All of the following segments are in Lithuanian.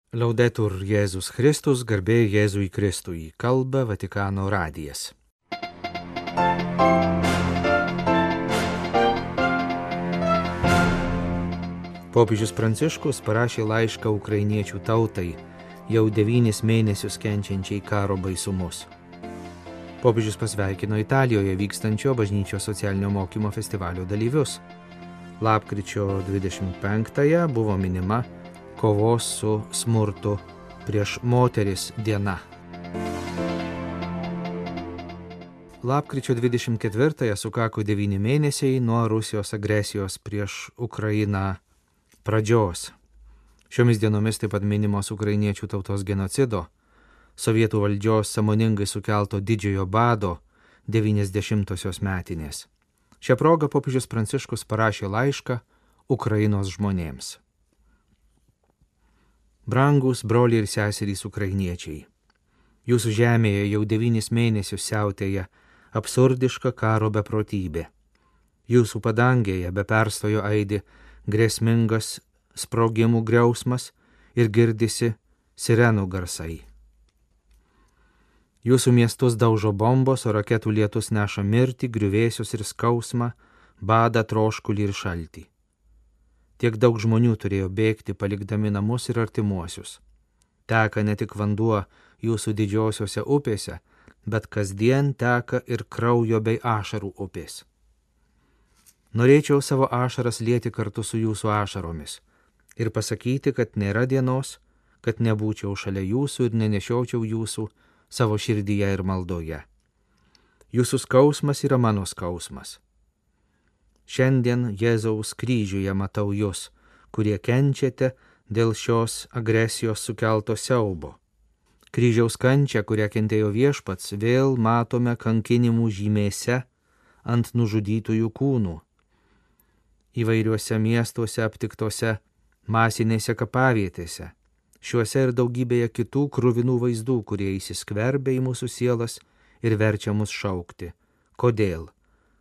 Laudetur Jėzus Kristus, garbė Jėzui Kristui, kalba Vatikano radijas. Popiežius Pranciškus parašė laišką ukrainiečių tautai, jau 9 mėnesius kenčiančiai karo baisumus. Popiežius pasveikino Italijoje vykstančio bažnyčios socialinio mokymo festivalio dalyvius. Lapkričio 25-ąją buvo minima kovos su smurtu prieš moteris diena. Lapkričio 24-ąją sukako 9 mėnesiai nuo Rusijos agresijos prieš Ukrainą pradžios. Šiomis dienomis taip pat minimos ukrainiečių tautos genocido, sovietų valdžios sąmoningai sukelto didžiojo bado 90-osios metinės. Šią progą popiežius Pranciškus parašė laišką Ukrainos žmonėms. Brangūs broliai ir seserys ukrainiečiai, jūsų žemėje jau 9 mėnesius siautėja absurdiška karo beprotybė. Jūsų padangėje be perstojo aidi grėsmingas sprogimų griausmas ir girdisi sirenų garsai. Jūsų miestus daužo bombos, o raketų lietus neša mirtį, griuvėsius ir skausmą, badą, troškulį ir šaltį. Tiek daug žmonių turėjo bėgti, palikdami namus ir artimuosius. Teka ne tik vanduo jūsų didžiosiuose upėse, bet kasdien teka ir kraujo bei ašarų upės. Norėčiau savo ašaras lieti kartu su jūsų ašaromis ir pasakyti, kad nėra dienos, kad nebūčiau šalia jūsų ir nenešiočiau jūsų savo širdyje ir maldoje. Jūsų skausmas yra mano skausmas. Šiandien Jėzaus kryžiuje matau jūs, kurie kenčiate dėl šios agresijos sukelto siaubo. Kryžiaus kančią, kurią kentėjo Viešpats, vėl matome kankinimų žymėse ant nužudytųjų kūnų. Įvairiuose miestuose aptiktose masinėse kapavietėse, šiuose ir daugybėje kitų kruvinų vaizdų, kurie įsiskverbia į mūsų sielas ir verčia mus šaukti. Kodėl?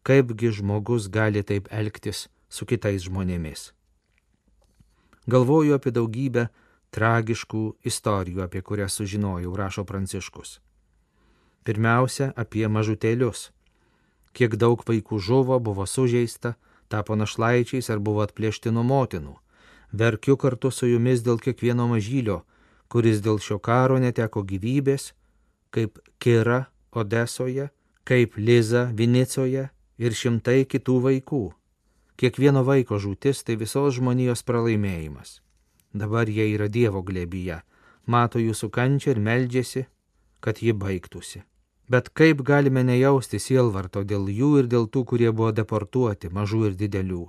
Kaipgi žmogus gali taip elgtis su kitais žmonėmis? Galvoju apie daugybę tragiškų istorijų, apie kurias sužinojau, rašo Pranciškus. Pirmiausia, apie mažutėlius. Kiek daug vaikų žuvo, buvo sužeista, tapo našlaičiais ar buvo atplėšti nuo motinų. Verkiu kartu su jumis dėl kiekvieno mažylio, kuris dėl šio karo neteko gyvybės, kaip Kira Odesoje, kaip Liza Vinicoje ir šimtai kitų vaikų. Kiekvieno vaiko žūtis tai visos žmonijos pralaimėjimas. Dabar jie yra Dievo glėbyje, mato jūsų kančią ir meldžiasi, kad ji baigtųsi. Bet kaip galime nejausti sielvarto dėl jų ir dėl tų, kurie buvo deportuoti, mažų ir didelių?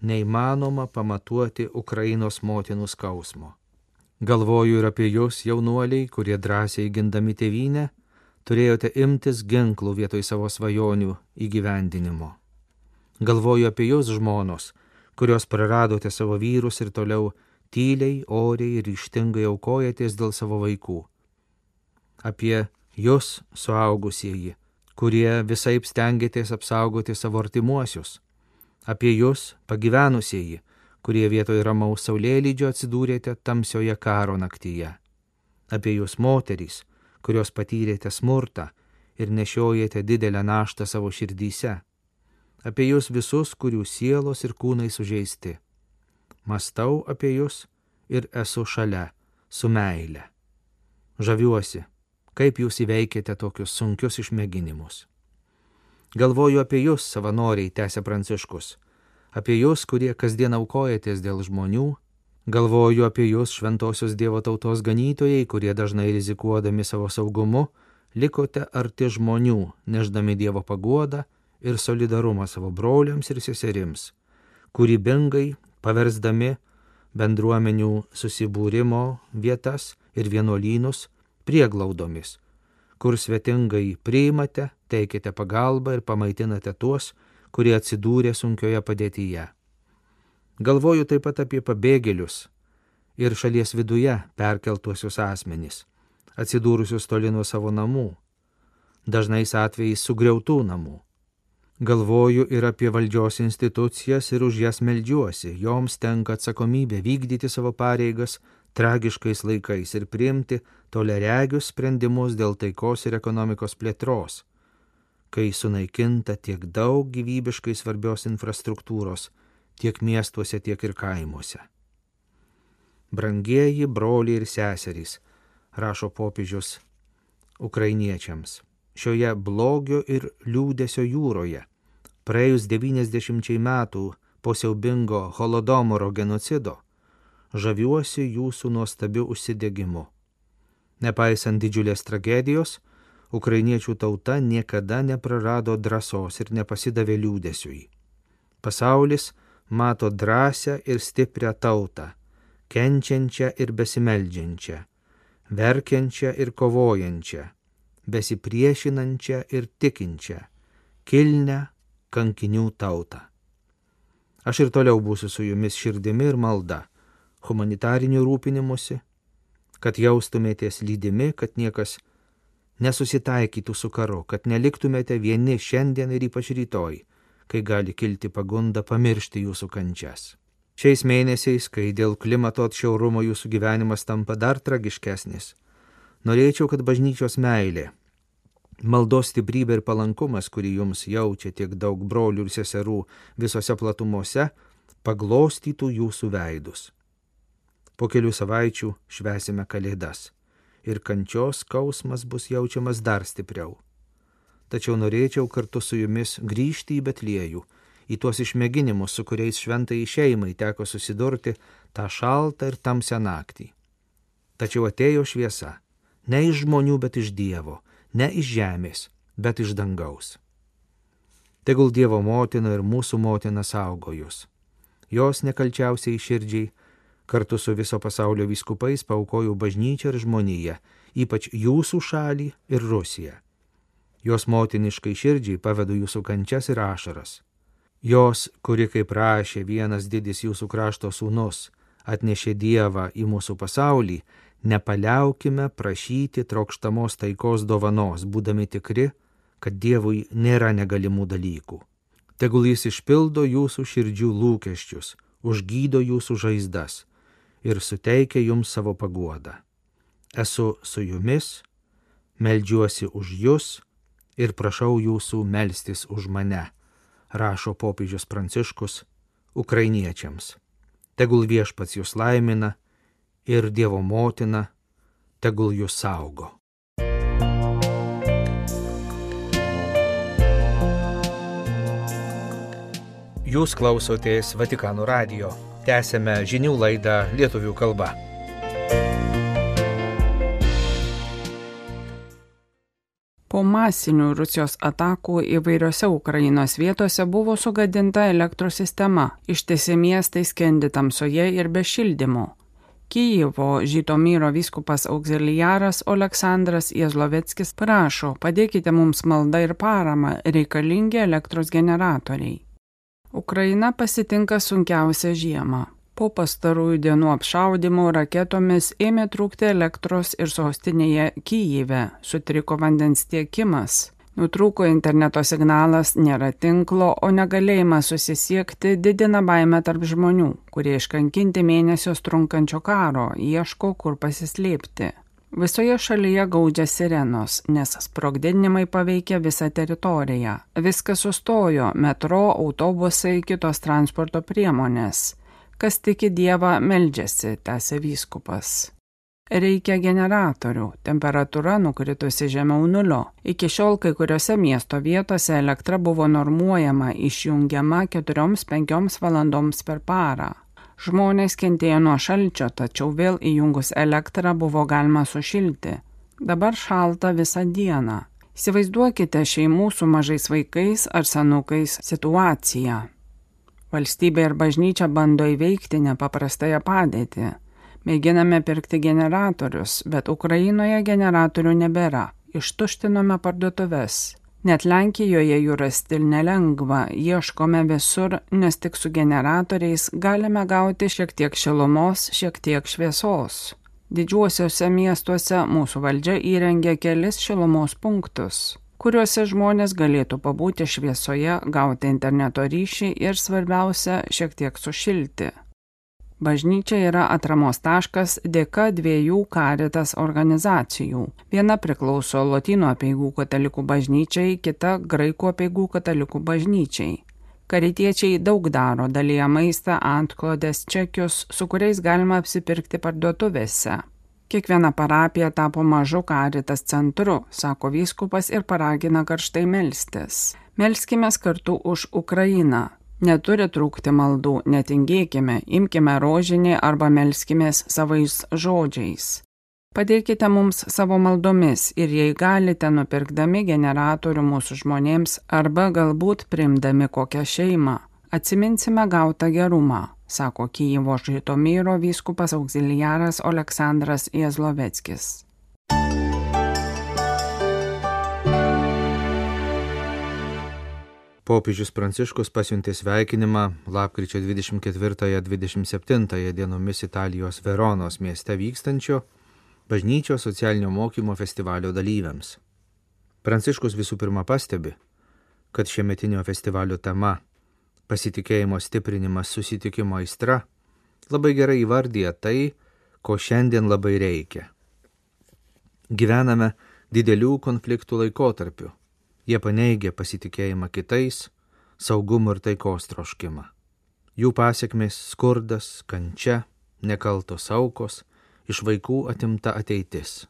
Neįmanoma pamatuoti Ukrainos motinų skausmo. Galvoju ir apie jūs, jaunuoliai, kurie drąsiai gindami tėvynę, turėjote imtis ginklų vietoj savo svajonių įgyvendinimo. Galvoju apie jūs, žmonos, kurios praradote savo vyrus ir toliau tyliai, oriai ir ryžtingai aukojatės dėl savo vaikų. Apie jūs, suaugusieji, kurie visaip stengiatės apsaugoti savo artimuosius. Apie jūs, pagyvenusieji, kurie vietoj ramaus saulėlydžio atsidūrėte tamsioje karo naktyje. Apie jūs, moterys, kurios patyrėte smurtą ir nešiojate didelę naštą savo širdyse. Apie jūs visus, kurių sielos ir kūnai sužeisti. Mąstau apie jūs ir esu šalia, su meile. Žaviuosi, kaip jūs įveikėte tokius sunkius išmėginimus. Galvoju apie jūs, savanoriai, tęsė Pranciškus, apie jūs, kurie kasdien aukojatės dėl žmonių. Galvoju apie jūs, šventosios Dievo tautos ganytojai, kurie dažnai rizikuodami savo saugumu, likote arti žmonių, neždami Dievo paguodą ir solidarumą savo broliams ir seserims, kūrybingai paversdami bendruomenių susibūrimo vietas ir vienuolynus prieglaudomis, kur svetingai priimate, teikite pagalbą ir pamaitinate tuos, kurie atsidūrė sunkioje padėtyje. Galvoju taip pat apie pabėgėlius ir šalies viduje perkeltuosius asmenys, atsidūrusius toli nuo savo namų, dažnais atvejais sugriautų namų. Galvoju ir apie valdžios institucijas ir už jas meldžiuosi, joms tenka atsakomybė vykdyti savo pareigas tragiškais laikais ir priimti toliaregius sprendimus dėl taikos ir ekonomikos plėtros, kai sunaikinta tiek daug gyvybiškai svarbios infrastruktūros, tiek miestuose, tiek ir kaimuose. Brangieji broliai ir seserys, rašo popiežius ukrainiečiams, šioje blogio ir liūdesio jūroje, praėjus 90 metų po siaubingo Holodomoro genocido, žaviuosi jūsų nuostabiu užsidegimu. Nepaisant didžiulės tragedijos, ukrainiečių tauta niekada neprarado drąsos ir nepasidavė liūdesiui. Pasaulis mato drąsią ir stiprią tautą, kenčiančią ir besimeldžiančią, verkiančią ir kovojančią, besipriešinančią ir tikinčią, kilnią kankinių tautą. Aš ir toliau būsiu su jumis širdimi ir malda, humanitariniu rūpinimusi, kad jaustumėtės lydimi, kad niekas nesusitaikytų su karu, kad neliktumėte vieni šiandien ir ypač rytoj, kai gali kilti pagunda pamiršti jūsų kančias. Šiais mėnesiais, kai dėl klimato atšiaurumo jūsų gyvenimas tampa dar tragiškesnis, norėčiau, kad bažnyčios meilė, maldos stiprybė ir palankumas, kurį jums jaučia tiek daug brolių ir seserų visose platumose, paglostytų jūsų veidus. Po kelių savaičių švęsime Kalėdas ir kančios skausmas bus jaučiamas dar stipriau. Tačiau norėčiau kartu su jumis grįžti į Betliejų, į tuos išmėginimus, su kuriais šventai šeimai teko susidurti tą šaltą ir tamsią naktį. Tačiau atėjo šviesa, ne iš žmonių, bet iš Dievo, ne iš žemės, bet iš dangaus. Tegul Dievo motina ir mūsų motina saugo jūs. Jos nekalčiausiai širdžiai kartu su viso pasaulio vyskupais paaukojo bažnyčią ir žmoniją, ypač jūsų šalį ir Rusiją. Jos motiniškai širdžiai pavedu jūsų kančias ir ašaras. Jos, kuri, kaip rašė vienas didis jūsų krašto sūnus, atnešė Dievą į mūsų pasaulį, nepaliaukime prašyti trokštamos taikos dovanos, būdami tikri, kad Dievui nėra negalimų dalykų. Tegul jis išpildo jūsų širdžių lūkesčius, užgydo jūsų žaizdas ir suteikia jums savo paguodą. Esu su jumis, meldžiuosi už jus ir prašau jūsų melstis už mane, rašo popiežius Pranciškus ukrainiečiams. Tegul Viešpats jūs laimina ir Dievo motina tegul jūs saugo. Jūs klausotės Vatikano radijo. Tęsėme žinių laidą lietuvių kalba. Po masinių Rusijos atakų įvairiose Ukrainos vietose buvo sugadinta elektros sistema, ištisi miestai skendi tamsoje ir be šildymo. Kijevo Žytomyro vyskupas auxiliaras Oleksandras Jezloveckis prašo, padėkite mums maldą ir paramą, reikalingi elektros generatoriai. Ukraina pasitinka sunkiausią žiemą. Po pastarųjų dienų apšaudymų raketomis ėmė trūkti elektros ir sostinėje Kijeve, sutriko vandens tiekimas. Nutrūko interneto signalas, nėra tinklo, o negalėjimas susisiekti didina baimę tarp žmonių, kurie iškankinti mėnesius trunkančio karo, ieško, kur pasislėpti. Visoje šalyje gaudžia sirenos, nes sprogdinimai paveikia visą teritoriją. Viskas sustojo, metro, autobusai, kitos transporto priemonės. Kas tiki Dievą, meldžiasi, tęsė vyskupas. Reikia generatorių, temperatūra nukritusi žemiau nulio. Iki šiol kai kuriuose miesto vietose elektra buvo normuojama, išjungiama 4-5 valandoms per parą. Žmonės kentėjo nuo šalčio, tačiau vėl įjungus elektrą buvo galima sušilti. Dabar šalta visą dieną. Įsivaizduokite šeimų su mažais vaikais ar senukais situaciją. Valstybė ir bažnyčia bando įveikti nepaprastąją padėtį. Mėginame pirkti generatorius, bet Ukrainoje generatorių nebėra. Ištuštinome parduotuves. Net Lenkijoje jų rasti nelengva, ieškome visur, nes tik su generatoriais galime gauti šiek tiek šilumos, šiek tiek šviesos. Didžiuosiuose miestuose mūsų valdžia įrengė kelis šilumos punktus, kuriuose žmonės galėtų pabūti šviesoje, gauti interneto ryšį ir svarbiausia, šiek tiek sušilti. Bažnyčia yra atramos taškas dėka 2 Caritas organizacijų. Viena priklauso Lotynų apeigų katalikų bažnyčiai, kita Graikų apeigų katalikų bažnyčiai. Karitiečiai daug daro, dalyja maistą, antklodės, čekius, su kuriais galima apsipirkti parduotuvėse. Kiekviena parapija tapo mažu Caritas centru, sako vyskupas ir paragina karštai melstis. Melskimės kartu už Ukrainą. Neturi trūkti maldų, netingėkime, imkime rožinį arba melskimės savais žodžiais. Padėkite mums savo maldomis ir jei galite, nupirkdami generatorių mūsų žmonėms arba galbūt priimdami kokią šeimą. Atsiminsime gautą gerumą, sako Kijevo Žaitomyro vyskupas auxiliaras Oleksandras Jezloveckis. Popiežius Pranciškus pasiuntė sveikinimą lapkričio 24-27 dienomis Italijos Veronos mieste vykstančio bažnyčios socialinio mokymo festivalio dalyviams. Pranciškus visų pirma pastebi, kad šiemetinio festivalio tema pasitikėjimo stiprinimas susitikimo aistra labai gerai įvardyja tai, ko šiandien labai reikia. Gyvename didelių konfliktų laikotarpiu. Jie paneigia pasitikėjimą kitais, saugumo ir taikos troškimą. Jų pasekmės skurdas, kančia, nekaltos aukos, iš vaikų atimta ateitis.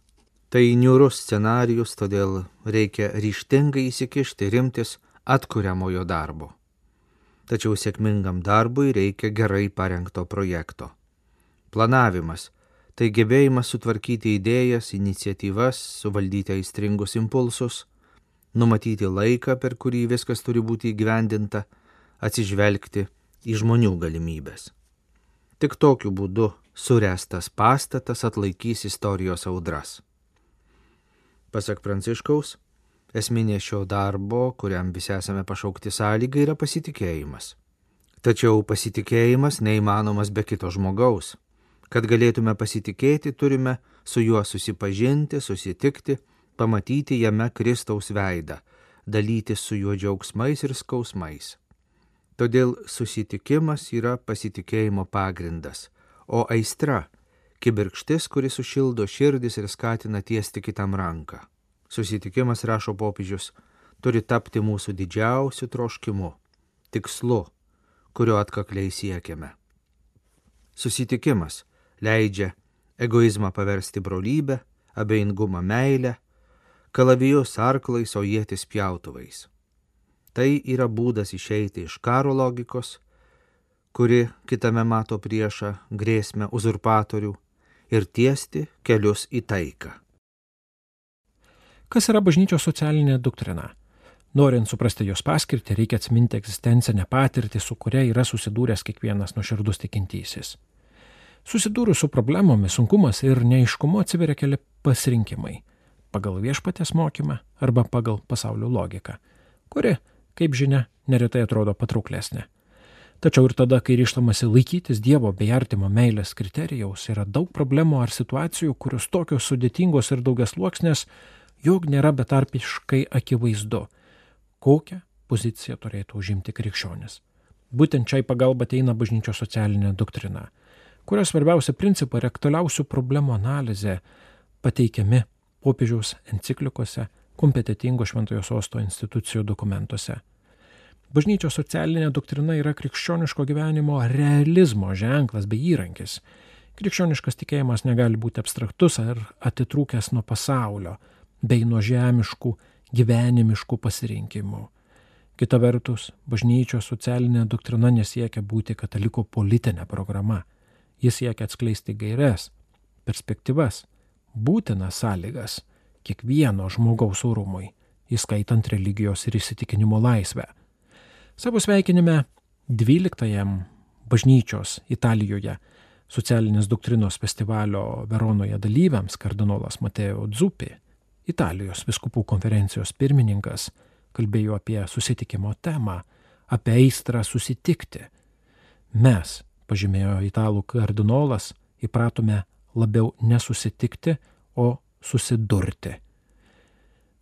Tai niūrus scenarijus, todėl reikia ryžtingai įsikišti ir imtis atkuriamojo darbo. Tačiau sėkmingam darbui reikia gerai parengto projekto. Planavimas – tai gebėjimas sutvarkyti idėjas, iniciatyvas, suvaldyti aistringus impulsus, numatyti laiką, per kurį viskas turi būti įgyvendinta, atsižvelgti į žmonių galimybės. Tik tokiu būdu suręstas pastatas atlaikys istorijos audras. Pasak Pranciškaus, esminė šio darbo, kuriam visi esame pašaukti sąlyga, yra pasitikėjimas. Tačiau pasitikėjimas neįmanomas be kito žmogaus. Kad galėtume pasitikėti, turime su juo susipažinti, susitikti, pamatyti jame Kristaus veidą, dalytis su juo džiaugsmais ir skausmais. Todėl susitikimas yra pasitikėjimo pagrindas, o aistra – kibirkštis, kuris sušildo širdis ir skatina tiesti kitam ranką. Susitikimas, rašo popiežius, turi tapti mūsų didžiausiu troškimu, tikslu, kurio atkakliai siekiame. Susitikimas leidžia egoizmą paversti brolybę, abejingumą meilę, kalavijus arklais, o ietis pjautuvais. Tai yra būdas išeiti iš karo logikos, kuri kitame mato priešą, grėsmę, uzurpatorių ir tiesti kelius į taiką. Kas yra bažnyčios socialinė doktrina? Norint suprasti jos paskirtį, reikia atsiminti egzistencinę patirtį, su kuria yra susidūręs kiekvienas nuoširdus tikintysis. Susidūrus su problemomis, sunkumas ir neaiškumu atsiveria keli pasirinkimai – pagal viešpaties mokymą arba pagal pasaulio logiką, kuri, kaip žinia, neretai atrodo patrauklesnė. Tačiau ir tada, kai ryžtamasi laikytis Dievo bei artimo meilės kriterijaus, yra daug problemų ar situacijų, kurios tokios sudėtingos ir daugiasluoksnės, jog nėra betarpiškai akivaizdu, kokią poziciją turėtų užimti krikščionis. Būtent čia į pagalbą ateina bažnyčios socialinė doktrina, kurios svarbiausia principai ir aktualiausių problemų analizė pateikiami popiežiaus enciklikose, kompetitingo Šventojo Sosto institucijų dokumentuose. Bažnyčios socialinė doktrina yra krikščioniško gyvenimo realizmo ženklas bei įrankis. Krikščioniškas tikėjimas negali būti abstraktus ar atitrūkęs nuo pasaulio, bei nuo žemiškų, gyvenimiškų pasirinkimų. Kita vertus, bažnyčios socialinė doktrina nesiekia būti katalikų politinė programa. Jis siekia atskleisti gaires, perspektyvas, būtinas sąlygas kiekvieno žmogaus orumui, įskaitant religijos ir įsitikinimo laisvę. Savo sveikinime 12-ajam bažnyčios Italijoje socialinės doktrinos festivalio Veronoje dalyviams kardinolas Mateo Zuppi, Italijos vyskupų konferencijos pirmininkas, kalbėjo apie susitikimo temą, apie aistrą susitikti. Mes, pažymėjo italų kardinolas, įpratome labiau nesusitikti, o susidurti.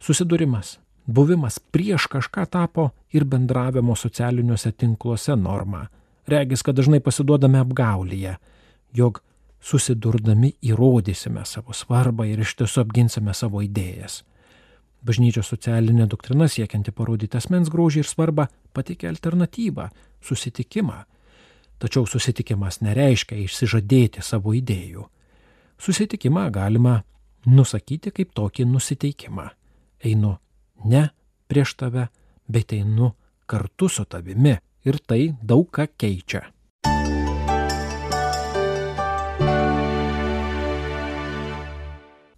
Susidūrimas, buvimas prieš kažką tapo ir bendravimo socialiniuose tinkluose norma. Regis, kad dažnai pasiduodame apgaulyje. jog susidurdami įrodysime savo svarbą ir iš tiesų apginsime savo idėjas. Bažnyčios socialinė doktrina siekianti parodyti asmens grožį ir svarbą pateikia alternatyvą – susitikimą. Tačiau susitikimas nereiškia išsižadėti savo idėjų. Susitikimą galima nusakyti kaip tokį nusiteikimą. Einu ne prieš tave, bet einu kartu su tavimi ir tai daug ką keičia.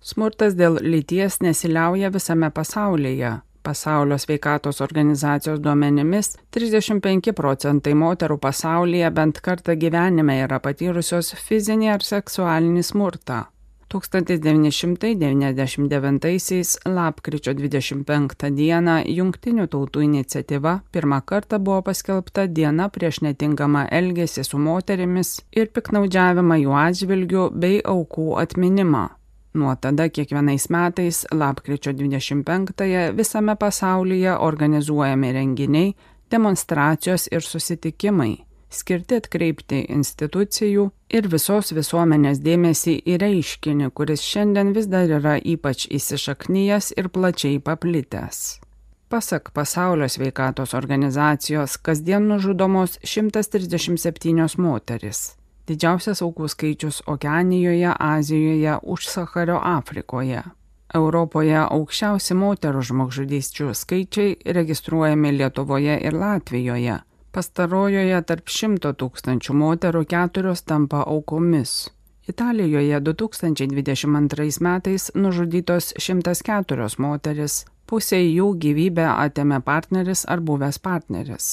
Smurtas dėl lyties nesiliauja visame pasaulyje. Pasaulio sveikatos organizacijos duomenimis 35% moterų pasaulyje bent kartą gyvenime yra patyrusios fizinį ar seksualinį smurtą. 1999 lapkričio 25 dieną Jungtinių tautų iniciatyva pirmą kartą buvo paskelbta diena prieš netinkamą elgesį su moterimis ir piktnaudžiavimą jų atžvilgiu bei aukų atminimą. Nuo tada kiekvienais metais lapkričio 25-ąją visame pasaulyje organizuojami renginiai, demonstracijos ir susitikimai, skirti atkreipti institucijų ir visos visuomenės dėmesį į reiškinį, kuris šiandien vis dar yra ypač įsišaknyjęs ir plačiai paplitęs. Pasak Pasaulio sveikatos organizacijos, kasdien nužudomos 137 moteris. Didžiausias aukų skaičius Okeanijoje, Azijoje, Užsachario Afrikoje. Europoje aukščiausi moterų žmogžudysčių skaičiai registruojami Lietuvoje ir Latvijoje. Pastarojoje tarp 100 000 moterų 4 tampa aukomis. Italijoje 2022 metais nužudytos 104 moteris, pusė jų gyvybę atėmė partneris ar buvęs partneris.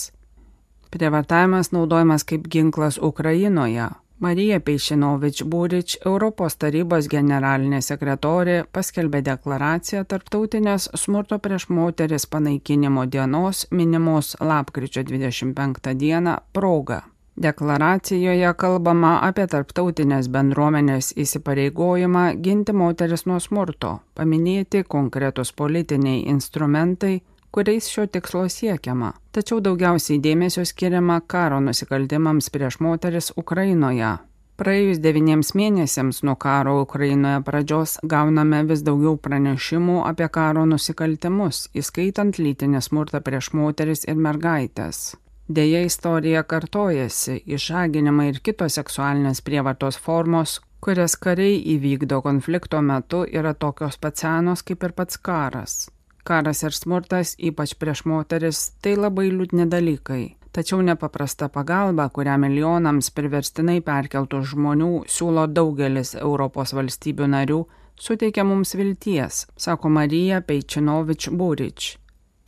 Prievartavimas naudojamas kaip ginklas Ukrainoje. Marija Peičinovič-Burič, Europos tarybos generalinė sekretorė, paskelbė deklaraciją Tarptautinės smurto prieš moteris panaikinimo dienos minimos lapkričio 25 dieną proga. Deklaracijoje kalbama apie tarptautinės bendruomenės įsipareigojimą ginti moteris nuo smurto, paminėti konkretus politiniai instrumentai, kuriais šio tikslo siekiama, tačiau daugiausiai dėmesio skiriama karo nusikaltimams prieš moteris Ukrainoje. Praėjus 9 mėnesiams nuo karo Ukrainoje pradžios gauname vis daugiau pranešimų apie karo nusikaltimus, įskaitant lytinį smurtą prieš moteris ir mergaitės. Deja, istorija kartojasi, išžaginimai ir kitos seksualinės prievartos formos, kurias kariai įvykdo konflikto metu, yra tokios pat senos kaip ir pats karas. Karas ir smurtas, ypač prieš moteris, tai labai liūdni dalykai. Tačiau nepaprasta pagalba, kurią milijonams priverstinai perkeltų žmonių siūlo daugelis Europos valstybių narių, suteikia mums vilties, sako Marija Peičinovič-Burič.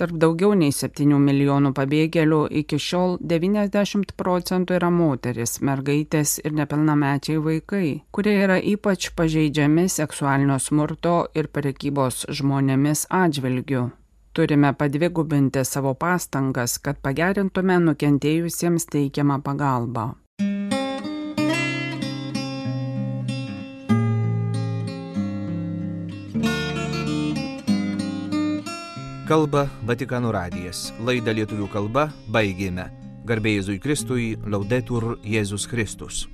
Tarp daugiau nei 7 milijonų pabėgėlių iki šiol 90% yra moteris, mergaitės ir nepilnamečiai vaikai, kurie yra ypač pažeidžiami seksualinio smurto ir prekybos žmonėmis atžvilgiu. Turime padvigubinti savo pastangas, kad pagerintume nukentėjusiems teikiamą pagalbą. Kalba Vatikano radijas. Laidą lietuvių kalba baigėme. Garbė Jėzui Kristui, Laudetur Jėzus Kristus.